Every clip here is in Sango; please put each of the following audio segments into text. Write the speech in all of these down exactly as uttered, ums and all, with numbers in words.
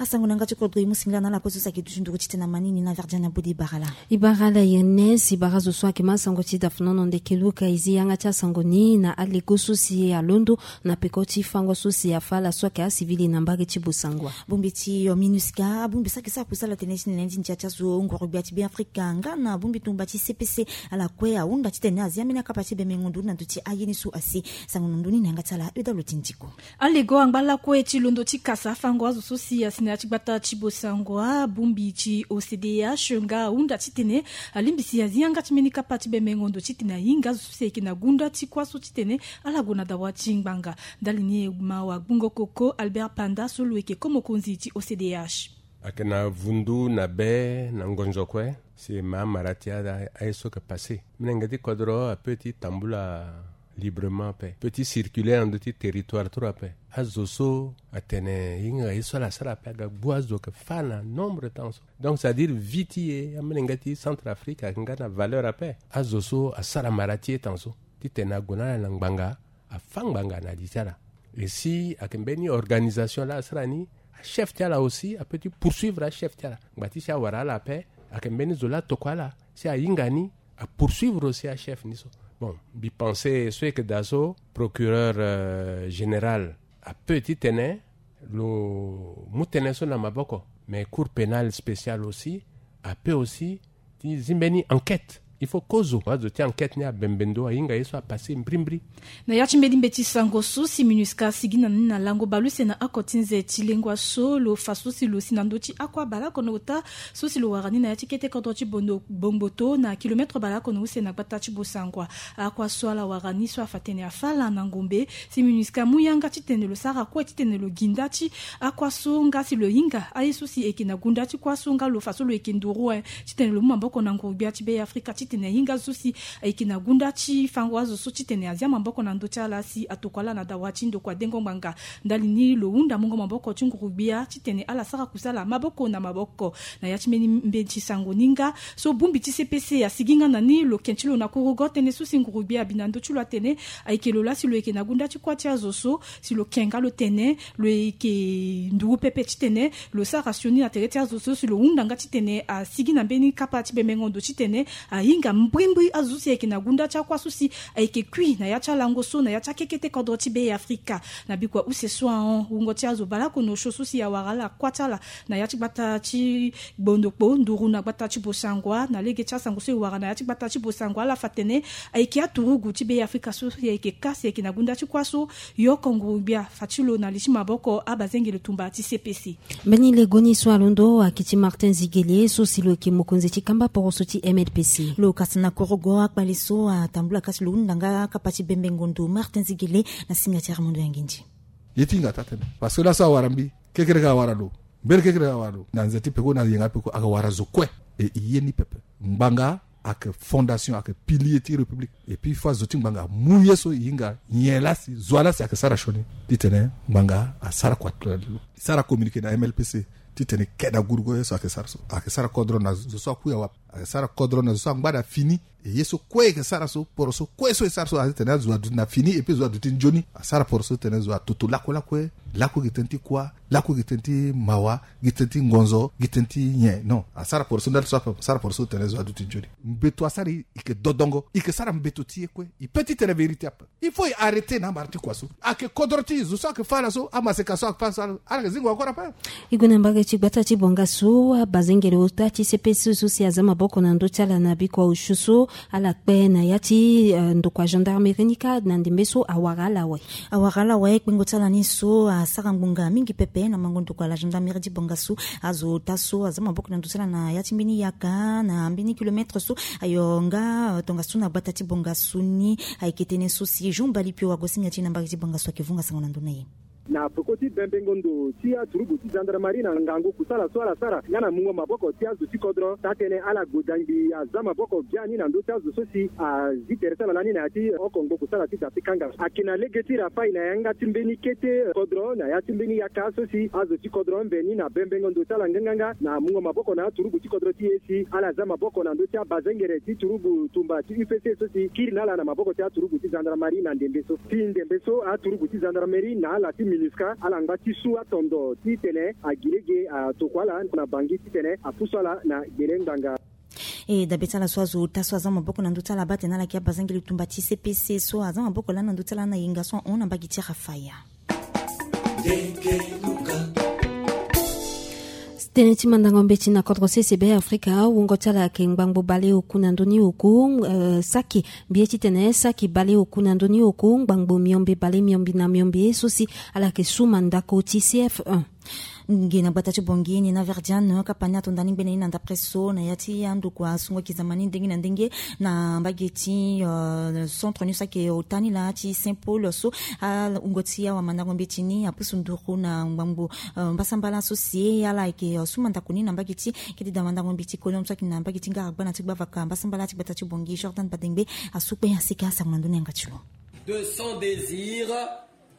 Asango na yanga ti kodro e mu singila na ala kue so si ayeke duti nduru ti tene na manini na verdien na bodi e bara ala. E bara ala Ernest, e bara azo so ayeke ma sango ti dafunono ndeke Luka e zi yanga ti asango ni na alego so si alondo na peko ti fango so si afa ala so ayeke asivili na mbage ti Bossangoa. Bongbi ti MINUSCA abongbi so ayeke sara kusala tënë ti nene ti ndia ti azo nguru-gbia ti Beafrika nga na bongbi tumba ti C P C, ala kue ahunda titene azi ambeni akapa ti bembengo nduru na ndö ti aye ni so asi. Sango na ndö ni na yanga ti ala Euda Lotindiko. Alego angba lakue ti londo ti kasa afango azo so si asi na ya ti gbata ti Bossangoa, bongbi ti O C D H nga ahunda titene alingbi si azi yanga ti mbeni kapa ti bembengo nduru titene ahinga azo so si ayeke na gunda ti kuâ so titene ala gue na dawa ti ngbanga. Ndali ni e ma wagbungo koko Albert Panda so lo yeke ko mokonzi ti O C D H. Ayeke na vundu na be na ngonzo kue si e ma amara ti aye so yeke passé. Molenge ti kodro apeut ti tambula librement ape, peut ti circuler na ndö ti territoire ti lo ape. Azo so atene e hinga ye so ala sara ape aga gbu azo yeke fâ na nombre ti temps so. Donc c'est à dire vie ti e amolenge ti Centrafrique ayeke nga na valeur ape. Azo so asara mara ti e temps so titene ague na ala na ngbanga, afâ ngbanga na li ti ala. Et si ayeke mbeni organisation laa asara ni, achef ti ala aussi apeut ti poursuivre achef ti ala. Ngba ti si awara ala ape, ayeke mbeni zo laa atokua ala si ahinga ni, apoursuivre aussi achef ni so. Bon, mbi pensé so e yeke daa so, procureur, euh, général apeut ti tene lo mu tënë so na maboko, mais cour pénale spéciale aussi apeut aussi ti zi mbeni enquête. Il faut kozo azo ti enquête ni abembe ndo, ahinga ye so apassé mbrimbri. Na ya ti mbeni mbeti sango so si MINUSCA asigi na ni na lango baleuse na oko ti nze ti lengua so, lo fa so si lo si na ndö ti akuâ baleoko na ota so si lo wara ni na ya ti kete kodro ti Bondo, Bongboto na kilomètre baleoko na use na gbata ti Bossangoa. Akuâ so ala wara ni so afa tene afâ ala na ngombe, si MINUSCA amu yanga titene lo sara kue titene lo gi nda ti akuâ so nga si lo hinga aye so si ayeke na gunda ti kuâ so nga lo fa so lo yeke nduru, eh, titene lo mu maboko na nguru-gbia ti Beafrika titene ahinga azo so si ayeke na gunda ti fango azo so titene azi amaboko na ndö ti ala si atokua ala na dawa ti ndokua dengo ngbanga. Ndali ni lo hunda mungo maboko ti nguru-gbia titene ala sara kusala maboko na maboko. Na ya ti mbeni mbeti sango ni nga so bongbi ti C P C asigi nga na ni, lo ke ti lo na kurugo tënë so si nguru-gbia abi na ndö ti lo atene ayeke lo laa si lo yeke na gunda ti kuâ ti azo so, si lo ke nga lo tene lo yeke nduru pepe titene lo sara sioni na tere ti azo so, si lo hunda nga titene asigi na mbeni kapa ti bembengo ndo titene ahinga mbrimbri azo so si ayeke na gunda ti akuâ so si ayeke kui na ya ti alango so na ya ti akekete kodro ti Beafrika. Na bikua use so ahon, wungo ti azo baleoko na osio so si awara ala kuâ ti ala na ya ti gbata ti Gbondokpo nduru na gbata ti Bossangoa, na lege ti asango so e wara na ya ti gbata ti Bossangoa, ala fa tene ayeke aturugu ti Beafrika so si ayeke kâ si ayeke na gunda ti kuâ so, yo oko nguru-gbia fa ti lo na li ti maboko abazengele tumba ti C P C. Mbeni lego ni so alondo ayeke ti Martin Ziguele so si lo yeke mokonzi ti kamba poroso ti M L P C. Lo kasi na kurugo akpale so atambula kasi lo hunda nga akapa ti bembengo ndo. Martin Ziguele na singa ti Armando Yangindi. Ye ti hinga taa tënë parce que laso awara mbi, kekereke awara lo, mbeni kekereke awara lo na nze ti peko na yenga peko, ayeke wara zo kue. E, e ye ni pepe. Ngbanga ayeke fondation, ayeke pilier ti république. Et puis fâ zo ti ngbanga amu ye so e hinga nyen laa si, zo wa laa si ayeke sara sioni titene ngbanga asara kua ti lo. E sara communiqué na M L P C titene e ke na gurugo ye so ayeke sara so. Ayeke sara kodro na zo so akui awa, ayeke sara kodro na zo so angba na fini. E ye so kue e yeke sara so, poroso kue so e sara so, atene azo aduti na fini et puis zo aduti nzoni. Asara poroso titene zo atoto lakue lakue. Lakue gi tënë ti kuâ, lakue gi tënë ti mawa, gi tënë ti ngonzo, gi tënë ti nyen. Non, asara poroso ndali so ape, asara poroso titene zo aduti nzoni. Mbeto asara e, e yeke dodongo, e yeke sara mbeto ti e kue. E peut ti tene vérité ape. Il faut e arrêter na amara ti kua so. Ayeke kodro ti e, zo so ayeke fâ ala so, amaseka so ayeke fâ ala so, ala yeke zingo encore ape. E gue na mbage ti gbata ti Bongassou, abazengele ota ti C P C so si aza maboko na ndö ti ala na bikua osio so ala kpe na ya ti, eh, ndokua gendarmerie ni kâ na ndembe so awara ala awe. Awara ala awe, kpengo ti ala ni so asara ngbonga mingi pepe na mango ndokua la gendarmerie ti Bongassou. Azo ota so aza maboko na ndö ti ala na ya ti mbeni yaka na mbeni kilomètre so, ayo nga, eh, tongaso na gbata ti Bongassou ni. Ayeke tënë so si Jean Balipio ague singa ti e na mbage ti Bongassou, ayeke vunga sango na ndö na e. Na peko ti bembengo ndo ti aturugu ti gendarmerie na ngangu kusala so ala sara nga na mungo maboko ti azo ti kodro, taa-tënë ala gue dangbi aza maboko biani na ndö ti azo so si azi tere ti ala lani na ya ti oko ngbo kusala ti da ti kanga. Ayeke na lege ti rapaille na yanga ti mbeni kete kodro na ya ti mbeni yaka so si azo ti kodro mbe ni na bembengo ndo ti ala nganganga na mungo maboko na aturugu ti kodro ti e si ala za maboko na ndö ti abazengere ti turugu tumba ti U P C so si kiri na ala na maboko ti aturugu ti gendarmerie na ndembe so. Ti ndembe so aturugu ti gendarmerie na ala ti Minusca ala ngba ti su atondo titene agi lege atokua ala na bangi titene apusu ala na gbele ngbanga. E dabe ti ala so azo ota so aza maboko na ndö ti ala baa tene ala yeke abazangeli tumba ti C P C so aza maboko lani na ndö ti ala na yenga so ahon na mbage ti Rafaya. Tënë ti mandango mbeti na kodro sese be Afrika, wungo ti ala ayeke ngbangbo baleoku na ndö ni oku, eh, saki mbi ye titene saki baleoku na ndö ni oku, ngbangbo miombe bale miombe na miombe so si ala yeke su mandako ti C F un. Nge na gbata ti Bangui ni na Verdiane kapa ni ato ndani ngbene ni na ndapre so na ya ti andokua sungo ki zamani ndenge na ndenge na mbage ti, euh, centre ni so ayeke ota ni laa ti Saint Paul so. Awungo ti awamandango mbeti ni apusu nduru na ngbangbo, euh, mbasambala so si ala yeke, euh, su mandako ni na mbage ti kete damandango mbeti Colombe so ayeke na mbage ti ngara gbana ti gbavaka mbasambala ti gbata ti Bangui Jordan Badengbe asu kpe asika asango na ndö ni yanga ti lo. De son désir,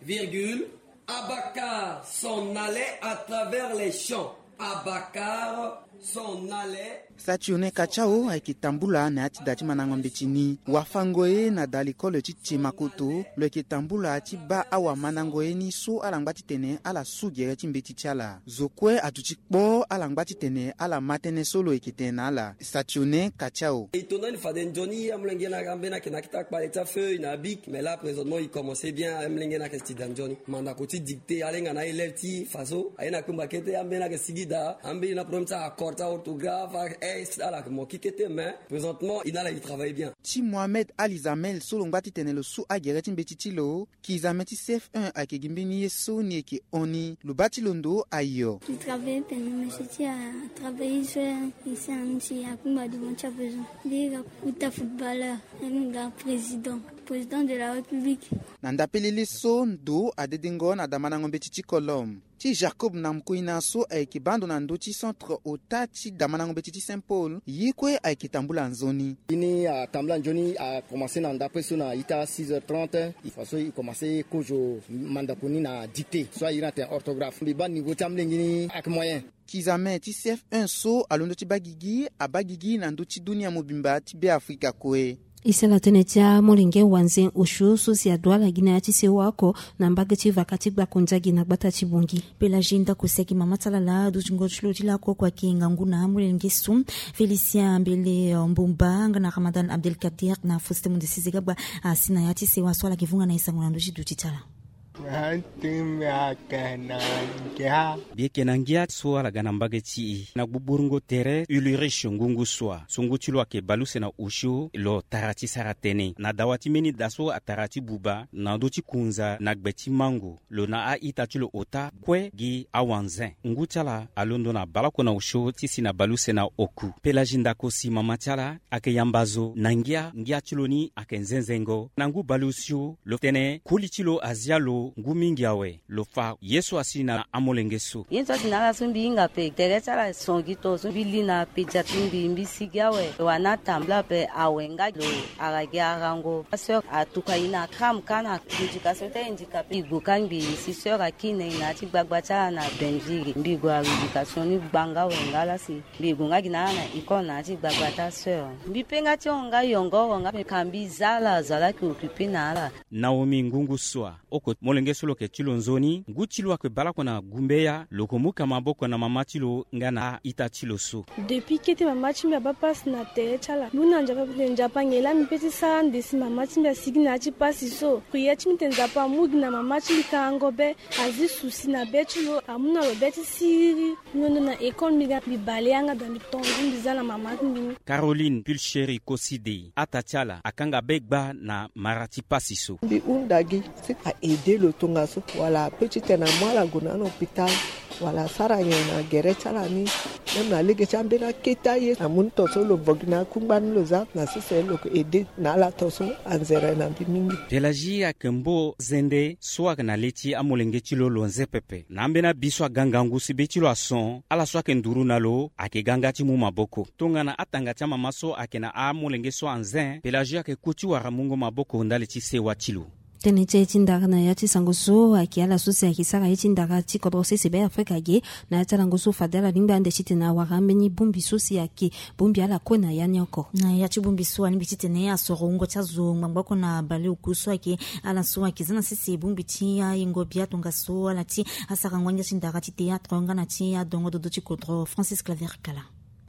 virgule, Abacar s'en allait à travers les champs. Abacar s'en allait. Saturnin Kachao ayeke tambula na ya ti da ti mandango mbeti ni. Wafango ye na da lekole ti Tiemakoto lo yeke tambula ti baa awamandango ye ni so ala ngba titene ala su gere ti mbeti ti ala. Zo kue aduti kpo ala ngba titene ala ma tënë so lo yeke tene na ala. Saturnin Kachao. E tondani fade nzoni amolenge na ambeni ayeke na akita kpale ti afeuille na abic, mais là présentement il commençait bien, amolenge na ayeke si da nzoni. Mandako ti dictée alenga na élève ti fa so aye na kpengba kete, ambeni ayeke sigi daa, ambeni na problème ti accord ti aorthographe, a-s, ala yeke mo ki kete, mais présentement il na ala e travaille bien. Ti Mohamed Ali Zamel so lo ngba titene lo su agere ti mbeti ti lo. Kizame ti C F un ayeke gi mbeni ye so ni yeke hon ni. Lo baa ti lo ndo ayo. Ti travailler tene monsieur ti a travailler so isi ani ti akungba devant ti a besoin. Nde ga kuta footballeur, ani ga président, président de la République. Na ndapelele so ndo adedengo na damandango mbeti ti Colombe. Ti Jacob na Mukuina so ayeke baa ndo na ndö ti centre ota ti damandango mbeti ti Saint Paul, ye kue ayeke tambula nzoni. Ye ni atambula nzoni, akomanse na ndapre so na ita six heures trente. Fa so e komanse kozo mandako ni na dictée so a iri atene orthographe. Mbi baa niveau ti amolenge ni ayeke moyen. Kizame ti C F un so alondo ti baa gigi, abaa gigi na ndö ti dunia mobimba ti Beafrika kue. E sara tënë ti amolenge wanze osio so si aduala gi na ya ti sewa oko na mbage ti vaka ti gbako nzagi na gbata ti Bangui. Pelagie Ndako si ayeke mama ti ala laa dutingo ti lo ti lakue oko ayeke ngangu na amolenge so. Félicien Mbele, euh, Mbumba nga na Ramadan Abdelkader na Faustin Mundesizega gba asi na ya ti sewa so ala yeke vunga na e sango na ndö ti duti ti ala. Mbi yeke na ngia so ala ga na mbage ti e na gbugburu ngo tere Ulrich Ngungu Sua so ngu ti lo ayeke baleuse na osio lo tara ti sara tënë na dawa ti mbeni da so atara ti buba na ndö ti kunza na gbe ti mango. Lo na a-ita ti lo ota kue gi awanze. Ngu ti ala alondo na baleoko na osio ti si na baleuse na oku. Pelagie Ndako si mama ti ala ayeke yamba zo na ngia, ngia ti lo ni ayeke nzenzengo. Na ngu baleosio lo tene koli ti lo azia lo ngu mingi awe. Lo fa ye so asi na amolenge so. Ye so asi na ala so mbi hinga ape tere ti ala son gi to so mbi li na pédiatrie mbi, mbi sigi awe. Lo wani atambula ape awe nga lo ara gi arango. Aseur atuka e na cram ka na éducation ti ahandicapé. Mbi gue ka ngbii si seur akiri na e na ya ti gbagba ti ala na Benville. Mbi gue aréducation ni gbanga awe nga laa si. Mbi gue nga gi na ala na école na ya ti gbagba ti aseur. Mbi pe nga ti hon nga yongo oro nga mbi ka mbi za ala, zo laa ayeke occupé na ala. Naomi Ngungu Sua, oko molenge so lo yeke ti lo nzoni, ngu ti lo ayeke baleoko na gumbeya, lo yeke mu ka maboko na mama ti lo nga na a-ita ti lo so. Depuis kete mama ti mbi abaa pasi na tere ti ala, mbi hunda Nzapa, Nzapa nyen laa mbi pe ti sara ande si mama ti mbi asigi na ya ti pasi so. Prière ti mbi tene Nzapa amu gi na mama ti mbi karango be, azi susi na be ti lo, amu na lo be ti siriri. Mbi londo na école mbi ga mbi bale yanga daa mbi tongo mbi za na mama ti mbi ni. Caroline Pulchérie Koside, ata ti ala akanga be gba na mara ti pasi so. Mbi hunda gi si a aidé lo tongaso wala ape titene amu ala gue na hôpital wala asara nyen na gere ti ala ni. Même na lege ti ambeni akete aye amu ni tongaso lo vo gi na akungba ni lo za na sese lo yeke aidé na ala tongaso anzere na mbi mingi. Pelagie ayeke mbo zende so ayeke na le ti amolenge ti lo lo nze pepe. Na ambeni abi so aga ngangu si be ti lo ason, ala so ayeke nduru na lo ayeke ga nga ti mu maboko. Tongana atanga ti amama so ayeke na amolenge so anze, Pelagie ayeke ku ti wara mungo maboko ndali ti sewa ti lo. Tënë ti e ti ndara na ya ti sango so ayeke ala so si ayeke sara ye ti ndara ti kodro sese Be Afrika ge. Na ya ti alango so fade ala lingbi ande titene awara ambeni bongbi so si ayeke bongbi ala kue na ya ni oko. Na ya ti bongbi so alingbi titene asoro wungo ti azo ngbangba oko na baleoku so ayeke ala so ayeke za na sese bongbi ti ayengo bia tongaso ala ti asara ngoi ngia ti ndara ti théâtre nga na ti adongo dodo ti kodro Francis Claver Kala.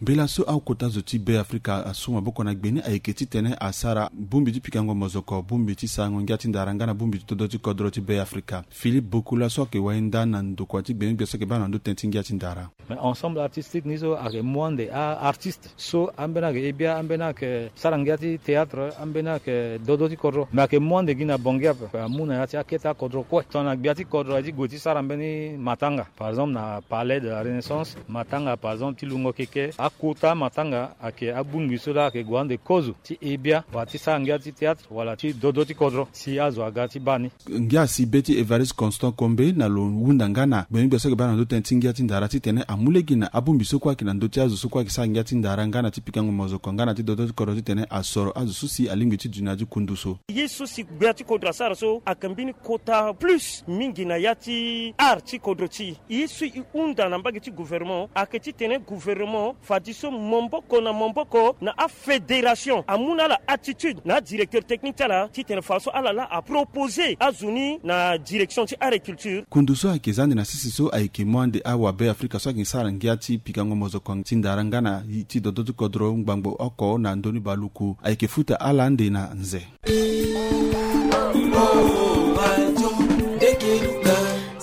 Mbela so akota zo ti Be Afrika asu maboko na gbe ni ayeke titene asara bongbi ti pikango mozoko, bongbi ti sarango ngia ti ndara nga na bongbi ti dodo ti kodro ti Be Afrika. Philippe Bokula so ayeke wainda na ndokua ti gbe ni gbia so ayeke baa na ndö tënë ti ngia ti ndara. Mais ensemble artistique ni so ayeke mu ande a-artiste so ambeni ayeke he bia, ambeni ayeke sara ngia ti théâtre, ambeni ayeke dodo ti kodro, mais ayeke mu ande gi na Bangui ape. Amu na ya ti akete akodro kue tongana gbia ti kodro aye ti gue ti sara mbeni matanga. Par exemple na Palais de la Renaissance, matanga par exemple ti lungo keke, akota matanga ayeke abongbi so laa ayeke gue ande kozo ti he bia wala ti sara ngia ti théâtre wala ti dodo ti kodro si azo aga ti baa ni. Ngia asi be ti Évariste Constant Kombe na lo hunda nga na gbenyogbia so ayeke baa na ndö tënë ti ngia ti ndara titene amu lege na abongbi so kue ayeke na ndö ti azo so kue ayeke sara ngia ti ndara nga na ti pikango mozoko nga na ti dodo ti kodro titene asoro azo so si alingbi ti dunia ti kundu so. Ye so si gbia ti kodro asara so ayeke mbeni kota plus mingi na ya ti art ti kodro ti e. Ye so e hunda na mbage ti gouvernement ayeke titene gouvernement fadeso maboko na maboko na afédération amu na ala attitude na adirecteur technique ti ala titene faso ala laa apropose azo ni na direction ti agriculture. Kundu so ayeke za ande na sese so ayeke mu ande awabe Afrika so ayeke sara ngia ti pikango mozoko ti ndara nga na ti dodo ti kodro ngbangbo oko na ndö ni baleoku ayeke futa ala ande na nze.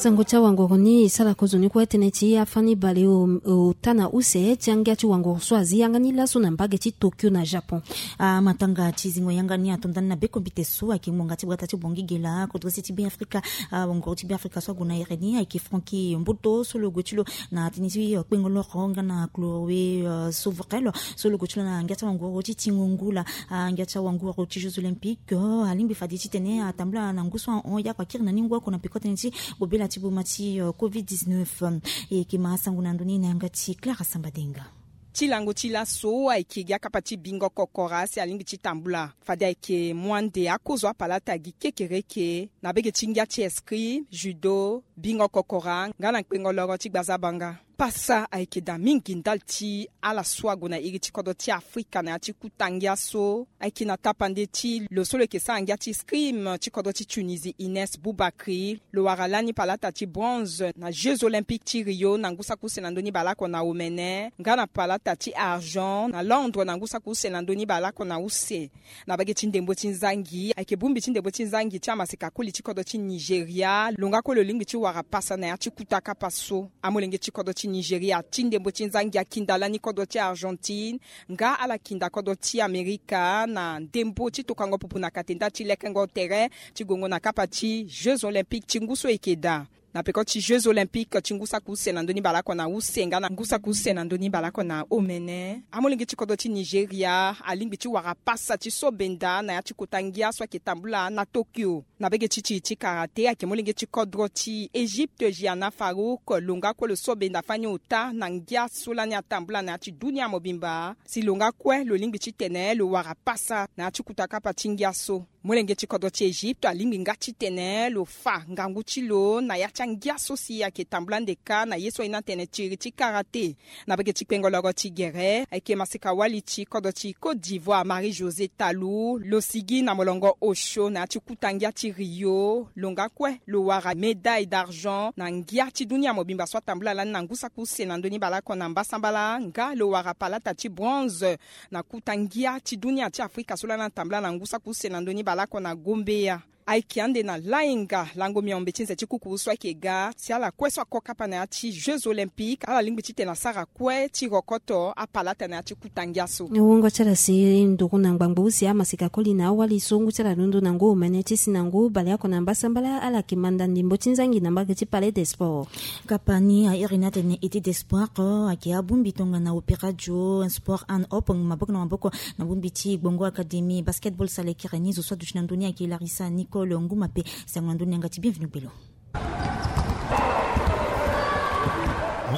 Sango ti awangoro ni e sara kozoni kue tënë ti afani baleota na use ti angia ti wangoro so azi yanga ni laso na mbage ti Tokyo na Japon. Amatanga ti zingo yanga ni ato ndani na bekombite so ayeke ngbonga ti bata ti Bangui ge laa kodro se ti Be Afrika. Awangoro ti Be Afrika so ague na here ni ayeke Francky Mboto so lo gue ti lo na tënë ti kpengo loro nga na Chloé Sovrel so lo gue ti lo na ngia ti awangoro ti tingo ngula. Angia ti awangoro ti Jeux Olympiques alingbi fade titene atambula na ngu so ahon ye akua kiri na ni ngu oko na peko tënë ti kobela ti boma ti covid dix-neuf. E yeke ma asango na ndö ni na yanga ti Clara Sambadenga. Ti lango ti laso ayeke gi akapa ti bingo kokora si alingbi ti tambula fade ayeke mu ande akozo apalata gi kekereke na bege ti ngia ti escrime, judo, bingo kokora nga na kpengo loro ti gbazabanga. Pasa ayeke daa mingi ndali ti ala so ague na iri ti kodro ti Afrika na ya ti kuta ngia so ayeke na tapande ti lo so lo yeke sara ngia ti escrime ti kodro ti Tunisie Inès Boubakri. Lo wara lani palata ti bronze na Jeux Olympiques ti Rio na ngu saki use na ndö ni baleoko na omene nga na palata ti argent na Londres na ngu saki use na ndö ni baleoko na use. Na bage ti ndembo ti nzangi ayeke bongbi ti ndembo ti nzangi ti amaseka koli ti kodro ti Nigeria lo nga kue lo lingbi ti wara pasa na ya ti kuta kapa so. Amolenge ti kodro ti Nigeria ti ndembo ti nzangi akinda lani kodro ti Argentine nga ala kinda kodro ti Amerika na ndembo ti tokango pupu na kate nda ti lekengo tere ti gongo na kapa ti Jeux Olympiques ti ngu so e yeke daa. Na peko ti Jeux Olympiques ti ngu saki use na ndö ni baleoko na use nga na ngu saki use na ndö ni baleoko na omene, amolenge ti kodro ti Nigeria alingbi ti wara pasa ti so benda na ya ti kota ngia so ayeke tambula na Tokyo. Na bege ti ti ti karate ayeke molenge ti kodro ti Egypte Gianna Farouk lo nga kue lo so benda fani ota na ngia so lani atambula na ya ti dunia mobimba. Si lo nga kue lo lingbi titene lo wara pasa na ya ti kuta kapa ti ngia so. Molenge ti kodro ti Egypte alingbi nga titene lo fa ngangu ti lo na ya ti angia so si ayeke tambula ande kâ na ye so aye ni atene ti iri ti karate. Na bege ti kpengo loro ti gere ayeke maseka wali ti kodro ti Côte d'Ivoire Marie Josée Talou lo sigi na molongo osio na ya ti kuta ngia ti Rio. Lo nga kue lo wara médaille d'argent na ngia ti dunia mobimba so atambula lani na ngu saki use na ndö ni baleoko na mbasambala nga lo wara palata ti bronze na kuta ngia ti dunia ti Afrika so lani atambula na ngu saki use na ndö ni baleoko na Gombeya. Ayeke ande na lainga lango miombe ti nze ti kuku so ayeke ga si ala kue so ako kapa na ya ti Jeux Olympiques ala lingbi titene asara kue ti rokoto apalata na ya ti kuta ngia so. Wungo ti ala si nduru na ngbangbo use amaseka koli na awali so ngu ti ala londo na ngu omene ti si na ngu baleoko na mbasambala ala yeke manda ndembo ti nzangi na mbage ti Palais des Sports. Kapa ni a iri ni atene été d'espoir ayeke abongbi tongana opéra duo sport and open maboko na maboko na bongbi ti Gbongo Académie basketball salekere ni zo so aduti na ndö ni ayeke Larissa Nicole Nguma pe. Sango na ndö ni na yanga ti Bienvenu Belo.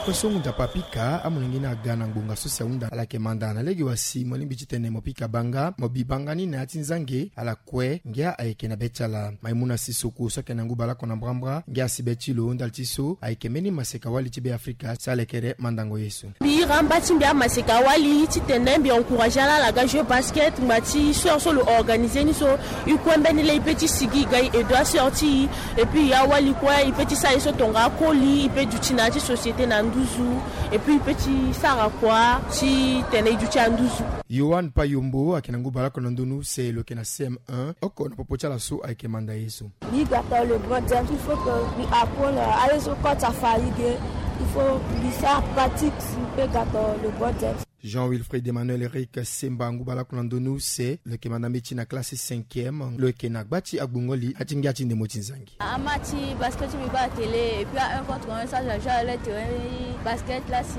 Kue so ngu nzapa apika amolenge ni aga na ngbonga so si ahunda ala yeke manda na lege wa si mo lingbi titene mo pika banga mo bi banga ni na ya ti nzange ala kue ngia ayeke na be ti ala. Maimuna Sissoco so ayeke na ngu baleoko na mbrambra ngia asi be ti lo ndali ti so ayeke mbeni maseka wali ti Be Afrika si ala yeke re mandango ye so. Mbi ira mba ti mbi amaseka wali titene mbi encourage ala ala ga jeu basket ngba ti sœur so lo organiser ni so. E kue mbeni lê e peut ti sigi e ga e aide asœur ti e. Et puis awali kue e peut ti sara ye so tonga akoli e peut duti na ya ti société na nduzu. Et puis e peut ti sara kua titene e duti na nduzu. Yohan Payombo ayeke na ngu baleoko na ndonu se lo yeke na C M un oko na popo ti ala so ayeke manda ye so. Mbi ga tongana LeBron James, il faut que mbi apprendre aye so kota farigue. Il faut mbi sara pratique si mbi peut ga tongana LeBron James. Jean Wilfried Emmanuel Eric Semba ngu baleoko na ndonu se lo yeke manda mbeti na classe cinquième lo yeke na gba ti agbongo li ati ngia ti ndembo ti nzangi. Ama ti basket ti mbi baa télé et puis a un contre un ça j'ai joué à leur terrain. Basket la si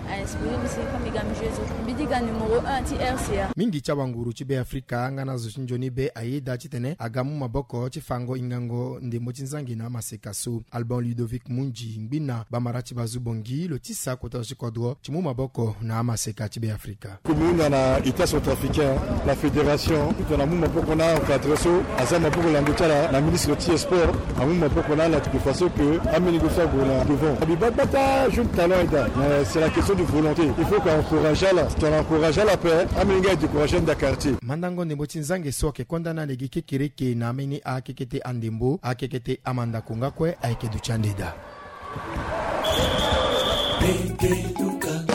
a inspiré mbi si comme mbi ga mbi joué so mbi di ga numéro un ti R C A. Mingi ti awanguru ti Be Afrika nga na zo ti nzoni be ayeda titene aga mu maboko ti fango ingango ndembo ti nzangi na amaseka so. Alban Ludovic Munji ngbi na bamara ti bazu bongi lo tisa kota zo ti kodro ti mu maboko na amaseka ti Be Afrika. Comme hunda na État centrafricain, la fédération tongana amu maboko na encadré so aza maboko lando ti ala na ministre ti sport amu maboko na ala de façon que ameni go so ague na devant. Abi baa gbata jeune talent eda, mais c'est la question de volonté. Il faut que encourage ala, tongana encourage ala ape ameni ga décourage nda quartier. Mandango ndembo ti nzange so ayeke konda na lege kekereke na ameni akekete andembo akekete amandako nga kue ayeke duti ande daa. Pete tuka.